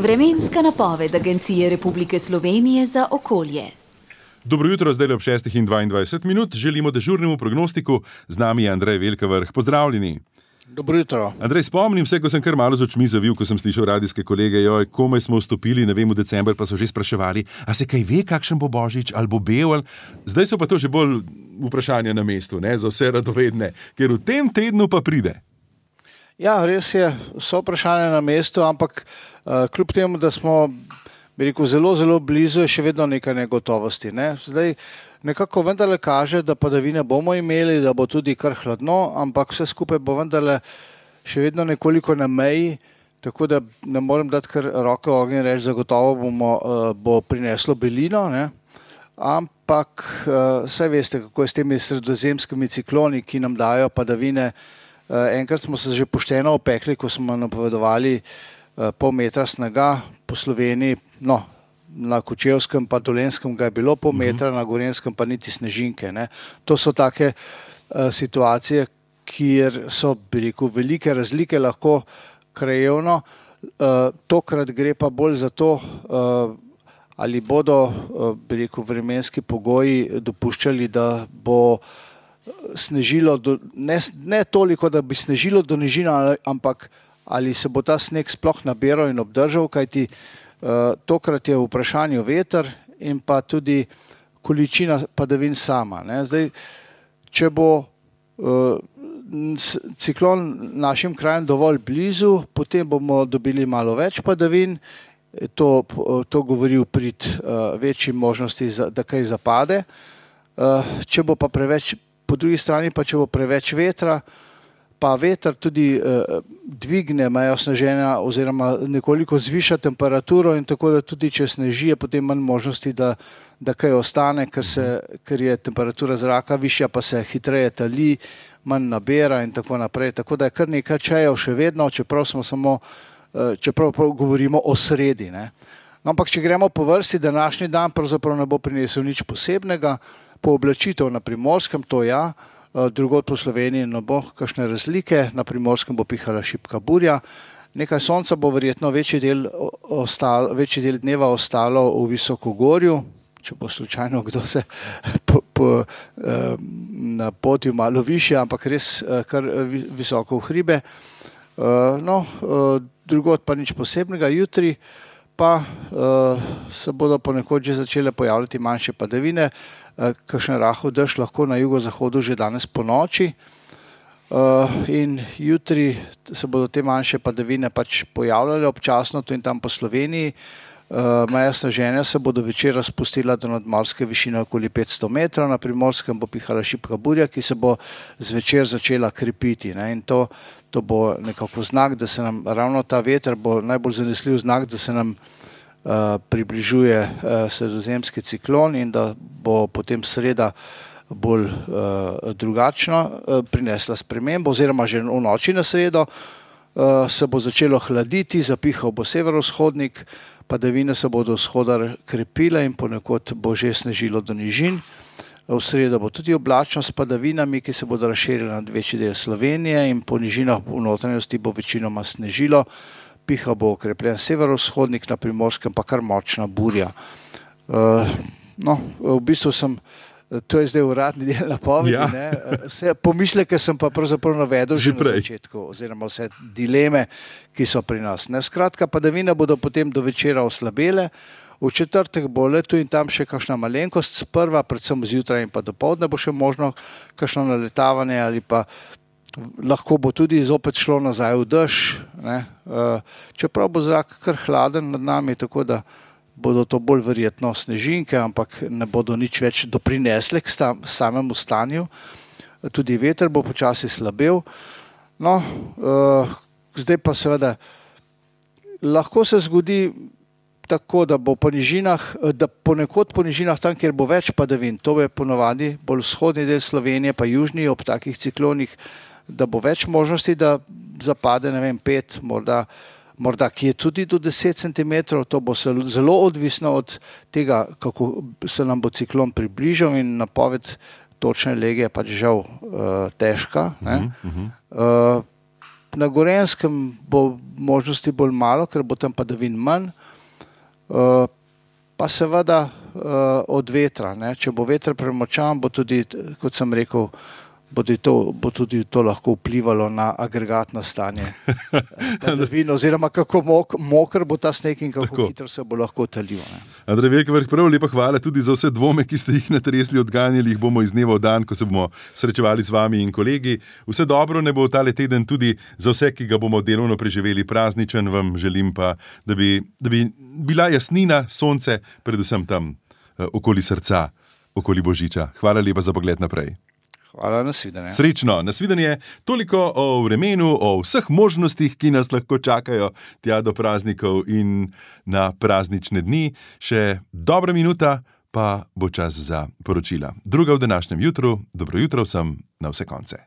Vremenska napoved Agencije Republike Slovenije za okolje. Dobro jutro, zdaj ob 6:22. Želimo dežurnemu prognostiku. Z nami je Andrej Velkavrh. Pozdravljeni. Dobro jutro. Andrej, spomnim se, ko sem kar malo z očmi zavil, ko sem slišal radijske kolege, komaj smo vstopili, ne vem, v december, pa so že spraševali, a se kaj ve, kakšen bo Božič, ali bo bel. Zdaj so pa to že bolj vprašanja na mestu, ne, za vse radovedne, ker v tem tednu pa pride. Ja, res je, so vprašanja na mestu, ampak kljub temu, da smo, bi rekel, zelo blizu, je še vedno nekaj negotovosti. Ne? Zdaj nekako vendarle kaže, da padavine bomo imeli, da bo tudi kar hladno, ampak vse skupaj bo vendarle še vedno nekoliko na meji, tako da ne morem dati kar roke v ogenj in reči, zagotovo bo prineslo belino, ne? Ampak saj veste, kako je s temi sredozemskimi cikloni, ki nam dajo padavine. Enkrat smo se že pošteno opekli, ko smo napovedovali pol metra snega po Sloveniji, no, na Kočevskem pa Dolenjskem ga je bilo pol metra, na Gorenjskem pa niti snežinke. Ne. To so take situacije, kjer so, bi rekel, velike razlike lahko krajevno. Tokrat gre pa bolj za to, ali bodo, bi rekel, vremenski pogoji dopuščali, da bo snežilo, ne toliko, da bi snežilo do nižin, ampak ali se bo ta sneg sploh nabiral in obdržal, kajti tokrat je v vprašanju veter in pa tudi količina padavin sama. Ne. Zdaj, če bo ciklon našim krajem dovolj blizu, potem bomo dobili malo več padavin, to govori v prid večji možnosti, da kaj zapade. Če bo pa preveč, po drugi strani pa, če bo preveč vetra, pa veter tudi dvigne mejo sneženja oziroma nekoliko zviša temperaturo in tako, da tudi če sneži, je potem manj možnosti, da kaj ostane, ker je temperatura zraka višja, pa se hitreje tali, manj nabera in tako naprej. Tako da je kar nekaj čajev še vedno, čeprav govorimo o sredi. Ne. Ampak če gremo po vrsti, današnji dan pravzaprav ne bo prinesel nič posebnega. Pooblačitev na Primorskem, to ja, drugod po Sloveniji ne bo kakšne razlike, na Primorskem bo pihala šibka burja. Nekaj sonca bo verjetno večji del dneva ostalo v Visokogorju, če bo slučajno kdo se napotil malo višje, ampak res kar visoko v hribe. Drugod pa nič posebnega. Jutri pa se bodo ponekod že začele pojavljati manjše padavine, kakšen rahel dež lahko na jugozahodu že danes po noči. In jutri se bodo te manjše padavine pač pojavljale občasno tu in tam po Sloveniji. Meja sneženja se bodo večer spustila do nadmorske višine okoli 500 metrov, na Primorskem bo pihala šibka burja, ki se bo zvečer začela krepiti. Ne. In to bo nekako znak, da se nam ravno ta veter bo najbolj zanesljiv znak, da se nam približuje sredozemski ciklon in da bo potem sreda bolj drugačno prinesla spremembo, oziroma že v noči na sredo se bo začelo hladiti, zapihal bo severovzhodnik, padavine se bodo vzhoda krepile in ponekod bo že snežilo do nižin. V sredo bo tudi oblačno s padavinami, ki se bodo razširile nad večji del Slovenije in po nižinah v notranjosti bo večinoma snežilo. Pihal bo okrepljen severovzhodnik, na Primorskem pa kar močna burja. V bistvu to je zdaj uradni del napovedi. Ja. Vse pomisleke sem pa pravzaprav navedel že na začetku, oziroma vse dileme, ki so pri nas. Ne, skratka, padavine bodo potem do večera oslabele. V četrtek bo le tu in tam še kakšna malenkost, sprva, predvsem zjutraj in pa dopoldne bo še možno kakšno naletavanje ali pa lahko bo tudi zopet šlo nazaj v dež. Čeprav bo zrak kar hladen nad nami, tako da bodo to bolj verjetno snežinke, ampak ne bodo nič več doprinesle k samemu stanju. Tudi veter bo počasi slabel. Zdaj pa seveda lahko se zgodi tako, da bo po nižinah, da ponekod po nižinah tam, kjer bo več padavin, to je ponovadi bolj vzhodni del Slovenije, pa južni ob takih ciklonih, da bo več možnosti, da zapade, ne vem, 5, morda ki je tudi do 10 cm, to bo zelo odvisno od tega, kako se nam bo ciklon približal in napoved točne lege je pač žal težka. Na Gorenjskem bo možnosti bolj malo, ker bo tam padavin manj. Pa seveda od vetra. Ne? Če bo veter premočan, bo tudi, kot sem rekel, bo tudi to lahko vplivalo na agregatno stanje padavin, oziroma kako moker bo ta sneg in kako hitro se bo lahko talil. Andrej Velkevrh, prav lepa hvala tudi za vse dvome, ki ste jih natresli, odganjali jih bomo iz dneva v dan, ko se bomo srečevali z vami in kolegi. Vse dobro ne bo tale teden tudi za vse, ki ga bomo delovno preživeli prazničen. Vam želim pa, da bi bila jasnina, sonce, predvsem tam okoli srca, okoli Božiča. Hvala lepa za pogled naprej. Hvala, nasvidenje. Srečno, nasvidenje. Toliko o vremenu, o vseh možnostih, ki nas lahko čakajo tja do praznikov in na praznične dni. Še dobra minuta, pa bo čas za poročila. Druga v današnjem jutru. Dobro jutro vsem na vse konce.